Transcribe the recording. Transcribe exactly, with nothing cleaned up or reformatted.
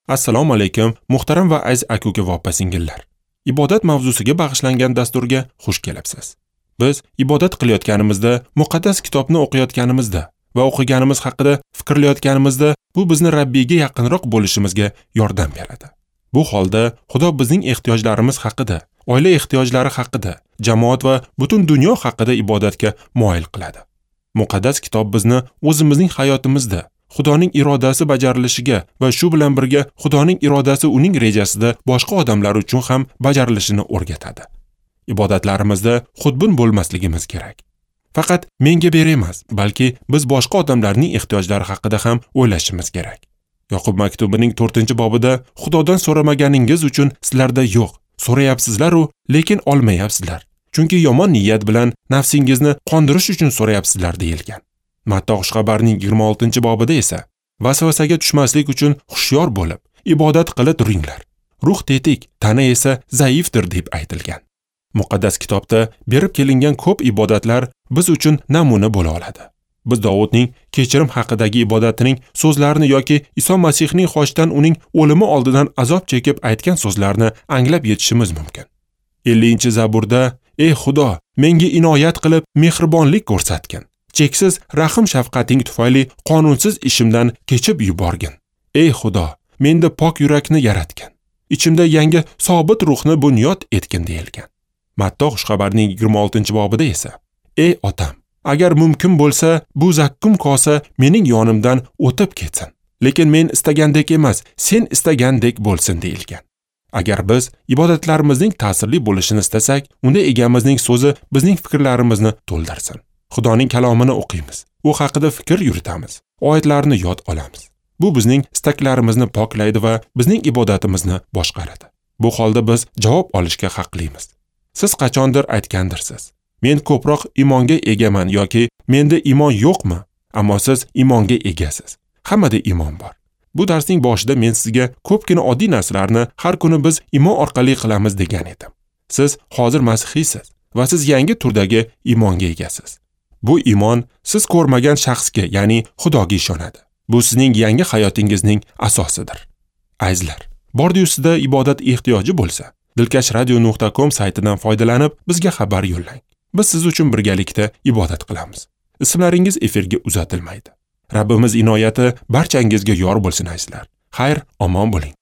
Assalomu alaykum, muhtaram va aziz aka-uka va opa-singillar. Ibodat mavzusiga bag'ishlangan dasturga xush kelibsiz. Biz ibodat qilayotganimizda, muqaddas kitobni o'qiyotganimizda va o'qiganimiz haqida fikrlayotganimizda bu bizni Rabbiyga yaqinroq bo'lishimizga yordam beradi. Bu holda Xudo bizning ehtiyojlarimiz haqida, oila ehtiyojlari haqida, jamoat va butun dunyo haqida ibodatga moyil qiladi. Muqaddas kitob bizni o'zimizning hayotimizda Xudoning irodasi bajarilishiga va shu bilan birga Xudoning irodasi uning rejasida boshqa odamlar uchun ham bajarilishini o'rgatadi. Ibodatlarimizda xudbin bo'lmasligimiz kerak. Faqat menga ber emas, balki biz boshqa odamlarning ehtiyojlari haqida ham o'ylashimiz kerak. Yoqub maktubining to'rtinchi bobida Xudodan so'ramaganingiz uchun sizlarda yo'q, so'rayapsizlar-u, lekin olmayapsizlar. Chunki yomon niyat bilan nafsingizni qondirish uchun so'rayapsizlar deyilgan. Matto xushxabarning yigirma oltinchi bobida esa vasvasaga tushmaslik uchun hushyor bo'lib, ibodat qila turinglar. Ruh tetik, tana esa zaifdir deb aytilgan. Muqaddas kitobda berib kelingan ko'p ibodatlar biz uchun namuna bo'la oladi. Biz Dovudning kechirim haqidagi ibodatining so'zlarini yoki Iso Masihning xochdan uning o'limi oldidan azob chekib aytgan so'zlarini anglab yetishimiz mumkin. ellinchi Zaburda: "Ey Xudo, menga inoyat qilib mehribonlik ko'rsatgin. Cheksiz rahim shafqating tufayli qonunsiz ishimdan kechib yuborgin. Ey Xudo, menda pok yurakni yaratgin. Ichimda yangi sobit ruhni bunyod etgin" deyilgan. Matto xushxabarning yigirma oltinchi bobida esa: "Ey otam, agar mumkin bo'lsa, bu zakkum kosa mening yonimdan o'tib ketsin. Lekin men istagandek emas, sen istagandek bo'lsin" deyilgan. Agar biz ibodatlarimizning ta'sirli bo'lishini istasak, unda egamizning so'zi bizning fikrlarimizni to'ldirsin. Xudoning kalomini o'qiymiz, u haqida fikr yuritamiz, oyatlarni yod olamiz. Bu bizning istaklarimizni poklaydi va bizning ibodatimizni boshqaradi. Bu holda biz javob olishga haqlimiz. Siz qachondir aytgandirsiz: "Men ko'proq iymonga egaman" yoki "Menda iymon yo'qmi?" Ammo siz iymonga egasiz. Hammada iymon bor. Bu darsning boshida men sizga ko'pgina oddiy narsalarni har kuni biz iymon orqali qilamiz degan edim. Siz hozir masihiysiz va siz yangi turdagi iymonga egasiz. Bu iymon siz ko'rmagan shaxsga, ya'ni Xudoga ishonadi. Bu sizning yangi hayotingizning asosidir. Azizlar, bordi-yu sizda ibodat ehtiyoji bo'lsa, dilkash radio nuqta com saytidan foydalanib bizga xabar yo'llang. Biz siz uchun birgalikda ibodat qilamiz. Ismlaringiz efirga uzatilmaydi. Rabbimiz inoyati barchangizga yor bo'lsin azizlar. Xayr, omon bo'ling.